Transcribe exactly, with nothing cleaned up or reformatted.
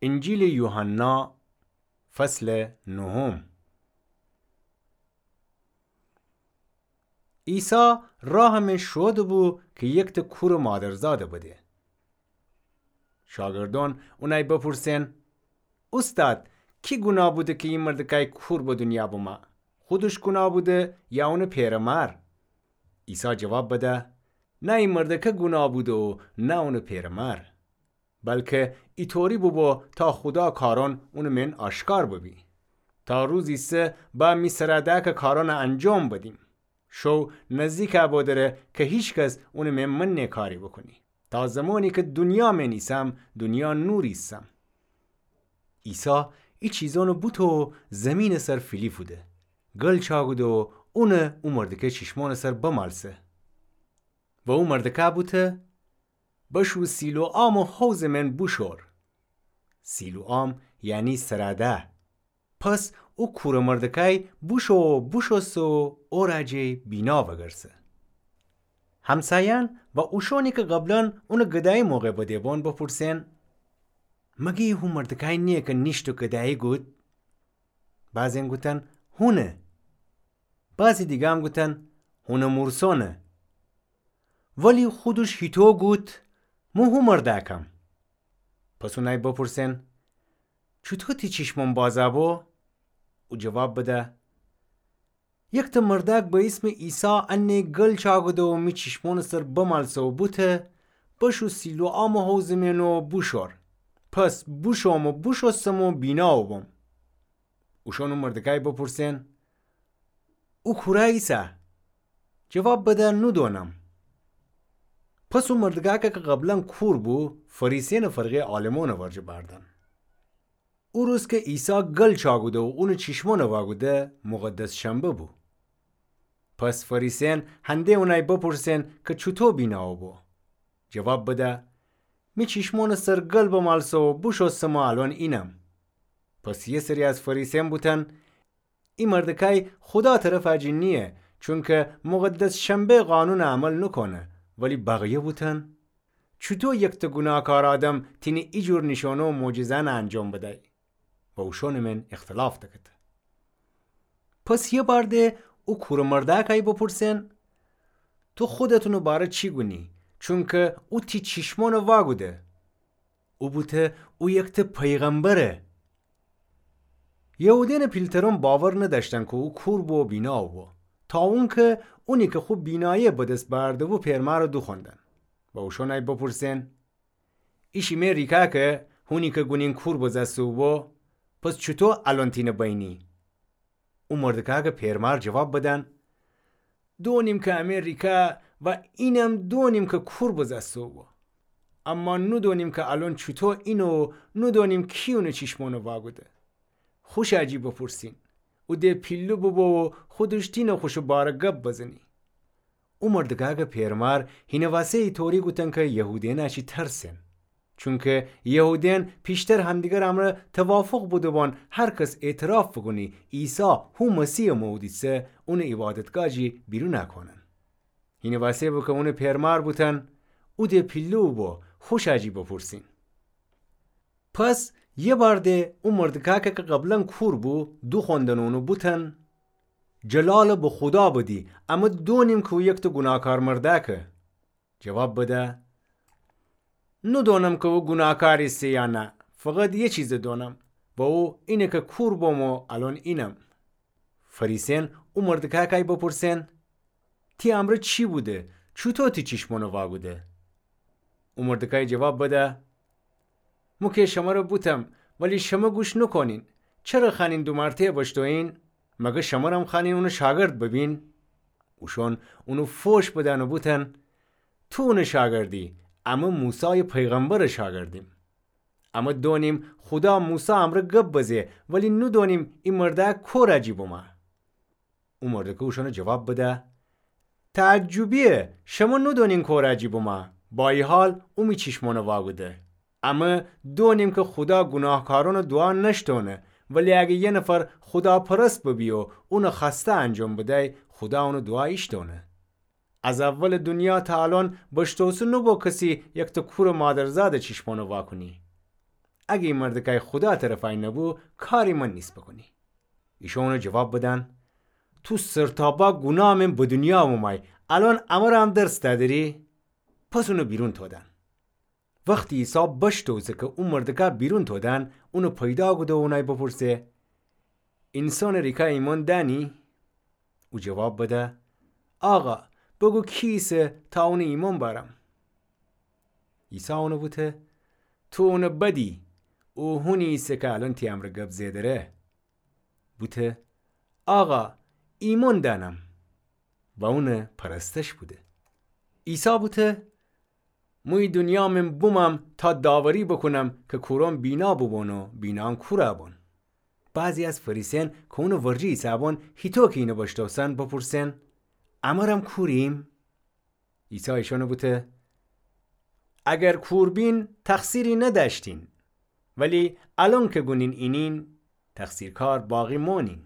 انجیلٚ یوحنا، فصلٚ نهم. عیسی راه مئن شوئودٚ بو کی یکته کورٚ مادرزاده بده. شاگردأن اونأی بپرسئن: اوستاد، کی گوناه بوده کی ای مردکأی کور به دونیا بمأ؟ خودش گوناه بوده یا اونٚ پئر و مار؟ عیسی جواب بده: نه ای مردکه گوناه بوده و نه اونٚ پئر و مار، بلکه ایطوری بوبو تا خودا کارأن اونٚ مئن آشکار ببی. تا روز ایسه با می سرا دأ کی کارأن انجام بدیم. شو نزدیک بو دره کی هیکس اونٚ مئن منه کاری بوکونی. تا زمانی کی دونیا مئن ایسم، دونیا نور ایسم. عیسی ای چیزأن بوته و زیمینٚ سر فیلی فوده، گل چاکوده و اون او مردکه چیشمأنٚ سر بمالسه. و او مردکه بوته: بشو سیلوآمٚ حوضٚ مئن بوشور. سیلوآم یعنی سرا دأ. پس او کورٚ مردکأی بوشو و بوشوسته و او را جی بینا وأگرسه. همسایأن و اوشأنی کی قبلا اونٚ گدایی موقع بده بون بپرسئن: مگی هو مردکأی نییه کی نیشت و گدایی گود؟ بعضی‌یأن گوتن: هونه. بعضی دیگرم گوتن: هونٚ مورسأنه. ولی خودش هیتو گوت: مو هو مردأکم. پس اونأی بپرسئن: چوطو تی چیشمأن بازَ بو؟ او جواب بده: یکته مردأک به ایسمٚ عیسی انه گل چاکوده و می چیشمأنٚ سر بمالسه و بوته: بشو سیلوآمٚ حوضٚ مئن و بوشور. پس بوشوم و بوشوستم و بینا بوبوم. اوشأن او مردکأی بپرسئن: او کورأ ایسه؟ جواب بده: نودونم. پس او مردکأکه کی قبلا کور بو، فریسیأنٚ فرقه‌یٚ عالمأنٚ ورجه بأردن. او روز کی عیسی گل چاکوده و اونٚ چیشمأنٚ واکوده، مقدس شنبه بو. پس فریسیأن هنده اونأی بپرسئن کی چوطو بینا بوبو؟ جواب بده: می چیشمأنٚ سر گل بمالسه و بوشوستم و الأن اینم. پس یه سری از فریسیأن بوتن: ای مردکأی خودا طرفٚ جی نییه، چونکی مقدس شنبه قانونٚ عمل نوکونه. ولی بقیه بوتن: چوطو یکته گوناهکار آدم تینه ایجور نیشأنه و معجزه‌یأن انجام بدأی؟ و اوشأنٚ مئن اختلاف دکته. پس یه بار ده او کورٚ مردأکأی بپرسئن: تو خودت اونٚ باره چی گونی؟ چونکی او تی چیشمأنٚ واکوده. او بوته او یکته پیغمبره. یهودیأنٚ پیلترأن باور ندأشتن کی او کور بو و بینا بو، تا اونکی اونی کی خو بینایی بدس بأرده بو پئرمارٚ دوخوأندن. و اوشأنأی بپرسئن: ایشی می ریکا کی هونی کی گونین کور بزأسته بو، پس چوطو الأن تینه بینی؟ او مردکأکٚ پئرمار جواب بدن: دونیم کی امی ریکا و اینم دونیم کی کور بزأسته بو. اما نودونیم کی الأن چوطو اینه و نودونیم کی اونٚ چیشمأنٚ واکوده. خوشأ جی بپرسین. او ده پیله بوبو و خودش تینه خوشٚ باره گب بزنی. او مردکأکٚ پئرمار هینٚ واسه ایطوری گوتن کی یهودیأنٚ اشی ترسئن. چونکی یهودیأن پیشتر همدیگرٚ امرأ توافق بوده‌بان هر کس اعتراف بوکونی عیسی هو مسیحٚ مئودیسه، اونٚ عیبادتگاه جی بیرونأ کونن. هینٚ واسه بو کی اونٚ پئرمار بوتن، او ده پیله بوبو، خوشأ جی بپرسین. پس یه بار ده او مردکأکه کی قبلا کور بو، دوخوأندن اونٚ بوتن: جلال به خودا بدی، امه دونیم کی او یکته گوناهکار مردأکه. جواب بده: نودونم کی او گوناهکار ایسه یا نه، فقط یه چیز دونم و او اینه کی کور بوم و الأن اینم. فریسیأن او مردکأکأی بپرسئن: تی امرأ چی بوده؟ چوطو تی چیشمأنٚ واکوده؟ او مردکأی جواب بده: مو کی شمره بوتم، ولی شمه گوش نوکونین. چره خوأنین دومارته‌یٚ بشتویین؟ مگه شمرم خوأنین اونٚ شاگرد ببین؟ اوشأن اونٚ فوش بدن و بوتن: تو اونٚ شاگردی، امه موسایٚ پیغمبرٚ شاگردیم. امه دونیم خودا موسی امرأ گب بزه، ولی نودونیم ای مردأک کورأ جی بمه. او مردکأی اوشأنٚ جواب بده: تعجبیه، شمه نودونین کورأ جی بمه، با ای حال او می چیشمأنٚ واکوده. امه دونیم کی خودا گوناهکارأنٚ دوعا نشتونه، ولی اگه یه نفر خوداپرست ببی و اونٚ خوأسته انجام بدی، خودا اونٚ دوعا ایشتونه. از اولٚ دونیا تا الأن بشتوسته نوبو کسی یکته کورٚ مادرزادٚ چیشمأنٚ واکونی. اگه ای مردکأی خودا طرفأی نبو، کاری من نیست بکونی. ایشأن اونَ جواب بدن: تو سرتاپا گوناه مئن به دونیا اومومأی، الأن امرم درس دأدری؟ پس اونَ بیرون تودن. وختی عیسی بشتوسه کی او مردکَ بیرون تودن، اونَ پیدا کوده و اونأی بپرسه: اینسانٚ ریکا ایمأن دأنی؟ او جواب بده: آقا، بگو کی ایسه تا اونَ ایمأن بأرم؟ عیسی اونَ بوته: تو اونَ بدی، او هونی ایسه کی الأن تی امرأ گب زئیدره. بوته: آقا، ایمأن دأنم. و اونٚ پرستش بوده. عیسی بوته: مو ای دونیا مئن بومم تا داوری بوکونم کی کورأن بینا بوبون و بینایأن کورَ بون. بعضی از فریسیأن کی اونٚ ورجه ایسه‌بون، هیطو کی اینَ بشتوسن، بپرسن: امرم کوریم؟ عیسی ایشأنَ بوته: اگر کور بین، تقصیری ندأشتین، ولی الأن کی گونین اینین، تقصیرکار باقی مونین.